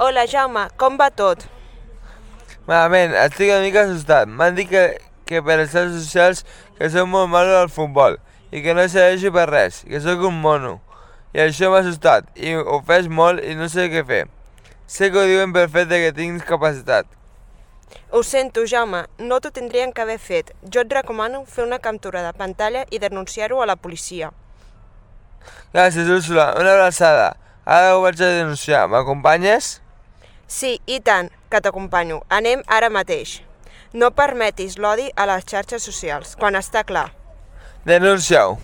Hola, Jaume, com va tot? Malament, estic una mica assustat. M'han dit que per les xarxes socials que soc molt malo al futbol i que no serveixo per res, que sóc un mono. I això m'ha assustat i ofès molt i no sé què fer. Sé que ho diuen per fet de que tinc discapacitat. Ho sento, Jaume, no t'ho tindrien que haver fet. Jo et recomano fer una captura de pantalla i denunciar-ho a la policia. Gràcies, Úrsula. Una abraçada. Ara ho vaig a denunciar. M'acompanyes? Sí, i tant, que t'acompanyo. Anem ara mateix. No permetis l'odi a les xarxes socials, quan està clar. Denuncia-ho.